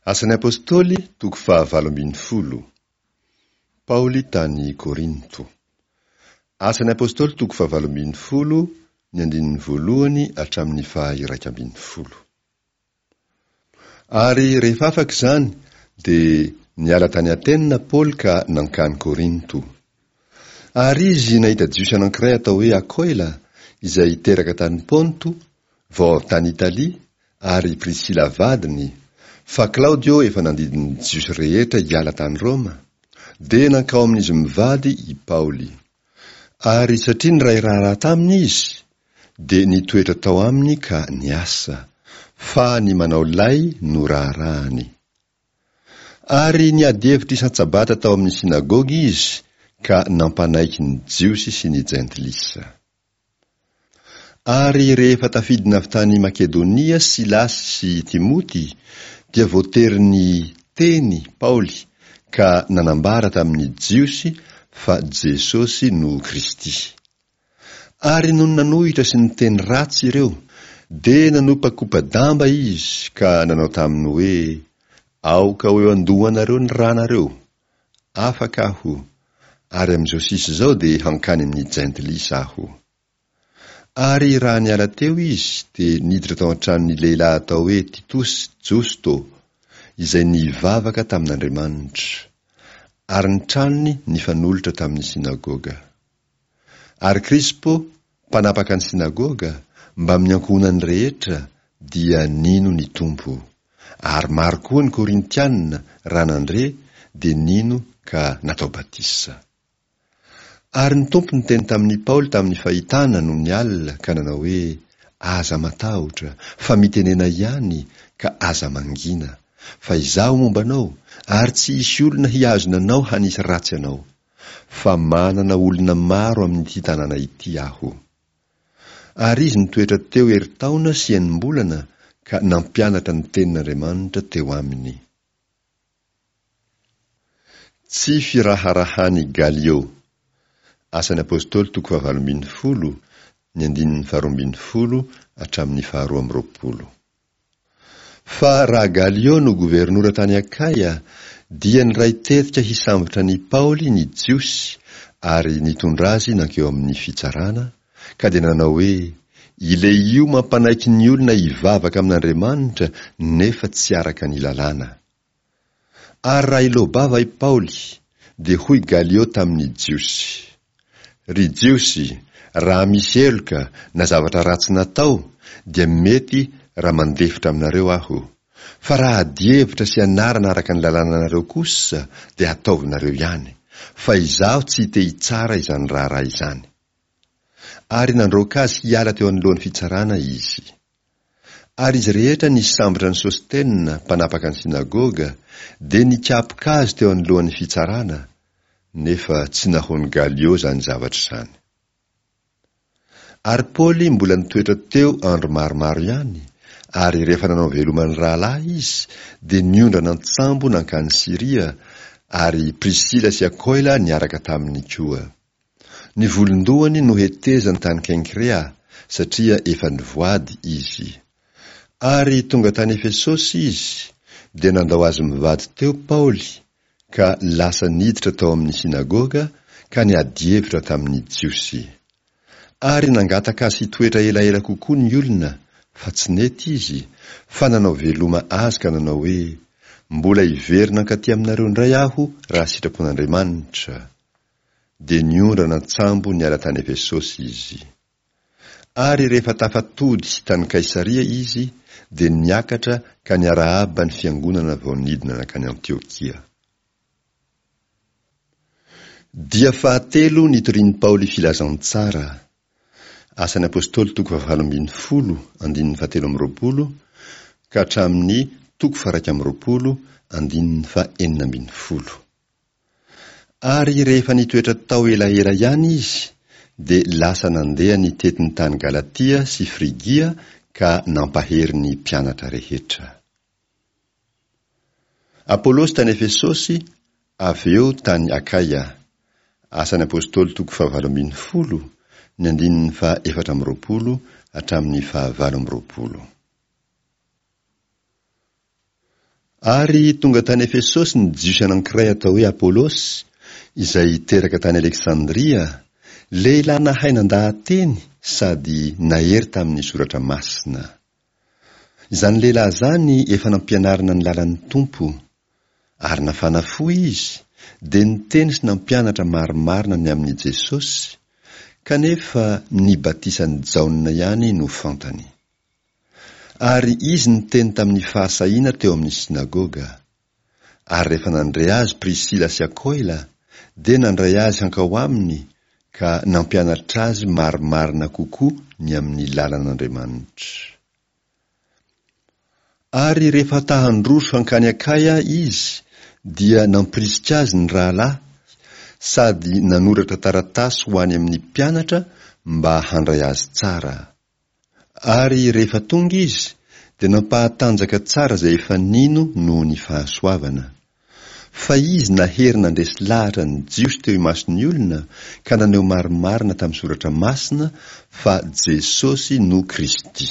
Asan'ny Apostoly, toko fahavalo ambin'ny folo. Paoly tany Korinto. Asan'ny Apostoly toko fahavalo ambin'ny folo, ny andininy voalohany hatramin'ny faha-iraika ambin'ny folo. Ary rehefa afaka izany, dia niala tany Atena Paoly ka nankany Korinto. Ary izy nahita Jiosy anankiray atao hoe Akoila, izay teraka tany Ponto, vao avy tany Italia, ary i Prisila vadiny, fa Klaodio efa nandidy ny Jiosy rehetra hiala tany Roma, dia nankao amin'izy mivady i Paoly. Ary satria niray raharaha taminy izy, dia nitoetra tao aminy ka niasa, fa ny manao lay no raharahany. Ary niady hevitra isan-tsabata tao amin'ny synagoga izy ka nampanaiky ny Jiosy sy ny Jentilisa. Ary rehefa tafidina avy tany Makedonia Silasy sy Timoty, dia voatery niteny Paoly ka nanambara tamin'ny Jiosy fa Jesosy no Kristy. Ary nony nanohitra sy niteny ratsy ireo, dia nanopakopa-damba izy ka nanao taminy hoe, Aoka ho eo an-dohanareo ny ranareo, Afaka aho, ary amin'izao sisa izao dia hankany amin'ny Jentilisa aho. Ary raha niala teo izy, dia niditra tao an-tranon'ny lehilahy atao hoe Titosy Josto, izay nivavaka tamin'Andriamanitra, ary ny tranony nifanolotra tamin'ny synagoga. Ary Krispo, mpanapaka ny synagoga, mbamin'ny ankohonany rehetra, dia nino ny Tompo. Ary maro koa ny Korintiana, raha nandre, dia nino ka natao batisa. Ary ny Tompo niteny tamin'i Paoly tamin'ny fahitana nony alina ka nanao hoe, Aza matahotra, fa mitenena ihany, ka aza mangina. Fa Izaho momba anao, ary tsy hisy olona hihazona anao hanisy ratsy anao. Fa manana olona maro amin'ity tanàna ity aho. Ary izy nitoetra teo herintaona sy enim-bolana ka nampianatra ny tenin'Andriamanitra teo aminy. Tsy firaharahan'i Galio. Asan'ny Apostoly toko fahavalo ambin'ny folo, ny andininy faharoa ambin'ny folo hatramin'ny faharoa amby roapolo. Fa raha Galio no governora tany Akaia, dia niray tetika hisambotra an'i Paoly ny Jiosy ary nitondra azy nankeo amin'ny fitsarana, ka dia nanao hoe, Ilehio mampanaiky ny olona hivavaka amin'Andriamanitra nefa tsy araka ny lalàna. Ary raha hiloa-bava i Paoly, dia hoy Galio tamin'ny Jiosy, Ry Jiosy, raha misy heloka na zavatra ratsy natao, dia mety raha mandefitra aminareo aho. Fa raha adihevitra sy anarana araka ny lalànanareo kosa, dia ataovinareo ihany, fa izaho tsy te-hitsara izany raharaha izany. Ary nandroaka azy hiala teo anoloan'ny fitsarana izy. Ary izy rehetra nisambotra an'i Sostena, mpanapaka ny synagoga, dia nikapoka azy teo anoloan'ny fitsarana, nefa tsy nahoan'i Galio izany zavatra izany. Ary Paoly mbola nitoetra teo andro maromaro ihany, ary rehefa nanao veloma ny rahalahy izy, dia niondrana an-tsambo nankany Syria, ary Prisila sy Akoila niaraka taminy koa. Ny volon-dohany nohetezany tany Kenkrea, satria efa nivoady izy. Ary tonga tany Efesosy izy, dia nandao azy mivady teo Paoly, ka lasa niditra tao amin'ny synagoga ka niady hevitra tamin'ny Jiosy. Ary nangataka azy hitoetra elaela kokoa ny olona, fa tsy nety izy, fa nanao veloma azy ka nanao hoe, Mbola hiverina hankaty aminareo indray aho raha sitrapon'Andriamanitra. Dia niondrana an-tsambo niala tany Efesosy izy. Ary rehefa tafatody tany Kaisaria izy, dia niakatra ka niarahaba ny fiangonana vao nidina nankany Antiokia. Dia fahatelo nitorian'i Paoly filazantsara. Asan'ny Apostoly toko fahavalo ambin'ny folo, andininy fahatelo amby roapolo ka hatramin'ny toko faha-iraika amby roapolo, andininy fahenina ambin'ny folo. Ary rehefa nitoetra tao elaela ihany izy, dia lasa nandeha nitety ny tany Galatia sy Frygia ka nampahery ny mpianatra rehetra. Apolosy tany Efesosy, avy eo tany Akaia. Asan'ny Apostoly toko fahavalo ambin'ny folo, ny andininy faha efatra amby roapolo hatramin'ny fahavalo amby roapolo. Ary tonga tany Efesosy ny Jiosy anankiray atao hoe Apolosy, izay teraka tany Aleksandria, lehilahy nahay nandaha-teny sady nahery tamin'ny Soratra Masina. Izany lehilahy izany efa nampianarina ny lalan'ny Tompo, ary nafana fo izy, dia niteny sy nampianatra marimarina ny amin'i Jesosy, kanefa ny batisan'i Jaona ihany no fantany. Ary izy niteny tamin'ny fahasahiana teo amin'ny synagoga. Ary rehefa nandre azy Prisila sy Akoila, dia nandray azy hankao aminy ka nampianatra azy marimarina kokoa ny amin'ny lalan'Andriamanitra. Ary rehefa ta-handroso hankany Akaia izy, dia nampirisika azy ny rahalahy, sady nanoratra taratasy ho any amin'ny mpianatra mba handray azy tsara. Ary rehefa tonga izy, dia nampahatanjaka tsara izay efa nino noho ny fahasoavana. Fa izy nahery nandresy lahatra ny Jiosy teo imason'ny olona ka naneho marimarina tamin'ny Soratra Masina fa Jesosy no Kristy.